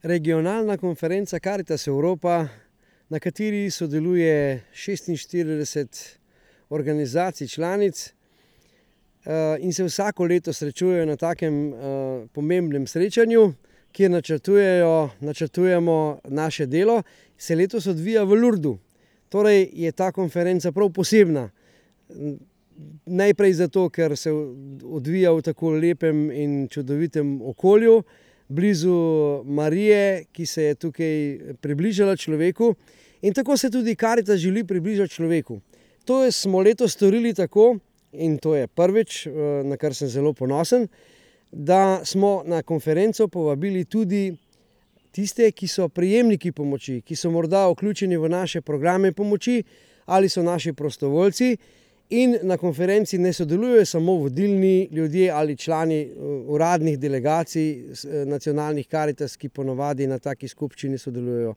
regionalna konferenca Karitas Evropa, na kateri sodeluje 46 organizacij članic in se vsako leto srečujejo na takem pomembnem srečanju, kjer načrtujemo naše delo, se letos odvija v Lourdesu. Torej je ta konferenca prav posebna. Najprej zato, ker se odvija v tako lepem in čudovitem okolju, blizu Marije, ki se je tukaj približala človeku, in tako se tudi Karitas želi približati človeku. To smo letos storili tako, in to je prvič, na kar sem zelo ponosen, da smo na konferenco povabili tudi tiste, ki so prejemniki pomoči, ki so morda vključeni v naše programe pomoči ali so naši prostovoljci, in na konferenci ne sodelujejo samo vodilni ljudje ali člani uradnih delegacij nacionalnih Karitas, ki ponavadi na taki skupščini sodelujejo.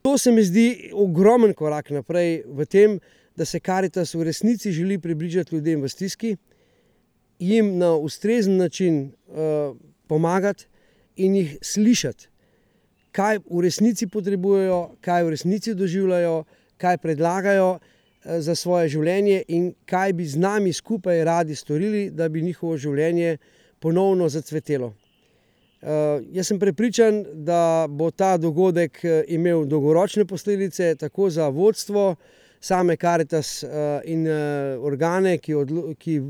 To se mi zdi ogromen korak naprej v tem, da se Karitas v resnici želi približati ljudem v stiski, jim na ustrezen način pomagati in jih slišati, kaj v resnici potrebujejo, kaj v resnici doživljajo, kaj predlagajo za svoje življenje in kaj bi z nami skupaj radi storili, da bi njihovo življenje ponovno zacvetelo. Jaz sem prepričan, da bo ta dogodek imel dolgoročne posledice tako za vodstvo same Karitas in organe, ki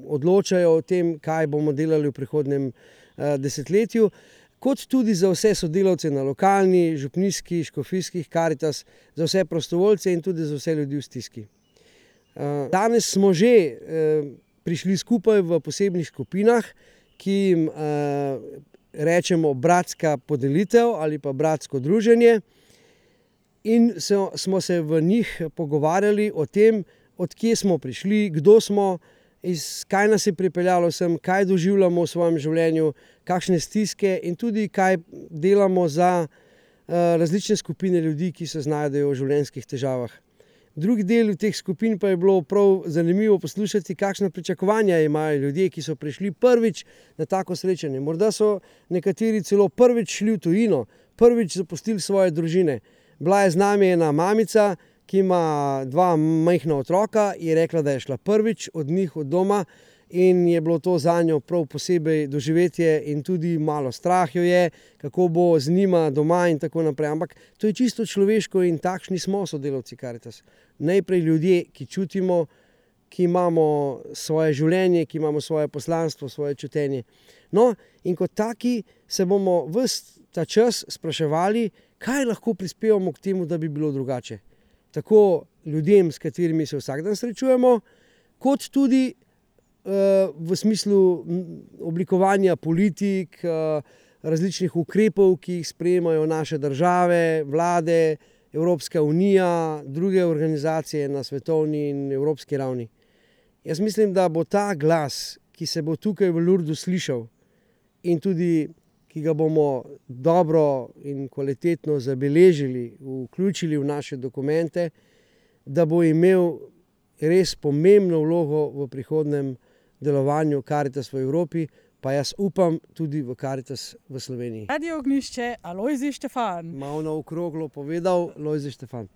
odločajo o tem, kaj bomo delali v prihodnjem desetletju, kot tudi za vse sodelavce na lokalni, župnijski, škofijskih Karitas, za vse prostovoljce in tudi za vse ljudi v stiski. Danes smo že prišli skupaj v posebnih skupinah, ki jim rečemo bratska podelitev ali pa bratsko druženje, in smo se v njih pogovarjali o tem, od kje smo prišli, kdo smo, kaj nas je pripeljalo sem, kaj doživljamo v svojem življenju, kakšne stiske in tudi kaj delamo za različne skupine ljudi, ki se znajdejo v življenjskih težavah. Drugi del teh skupin pa je bilo prav zanimivo poslušati, kakšna pričakovanja imajo ljudje, ki so prišli prvič na tako srečanje. Morda so nekateri celo prvič šli v tujino, prvič zapustili svoje družine. Bila je z nami ena mamica, ki ima 2 majhna otroka, je rekla, da je šla prvič od njih od doma in je bilo to zanjo prav posebej doživetje in tudi malo strah jo je, kako bo z njima doma in tako naprej. Ampak to je čisto človeško in takšni smo sodelavci Karitas. Najprej ljudje, ki čutimo, ki imamo svoje življenje, ki imamo svoje poslanstvo, svoje čutenje. No, in kot taki se bomo ves ta čas spraševali, kaj lahko prispevamo k temu, da bi bilo drugače. Tako ljudem, s katerimi se vsak dan srečujemo, kot tudi v smislu oblikovanja politik, različnih ukrepov, ki jih sprejemajo naše države, vlade, Evropska unija, druge organizacije na svetovni in evropski ravni. Jaz mislim, da bo ta glas, ki se bo tukaj v Lourdesu slišal in tudi ki ga bomo dobro in kvalitetno zabeležili, vključili v naše dokumente, da bo imel res pomembno vlogo v prihodnjem delovanju Karitas v Evropi, pa jaz upam tudi v Karitas v Sloveniji. Radio Ognjišče, Alojzij Štefan. Malo na okroglo povedal, Lojzij Štefan.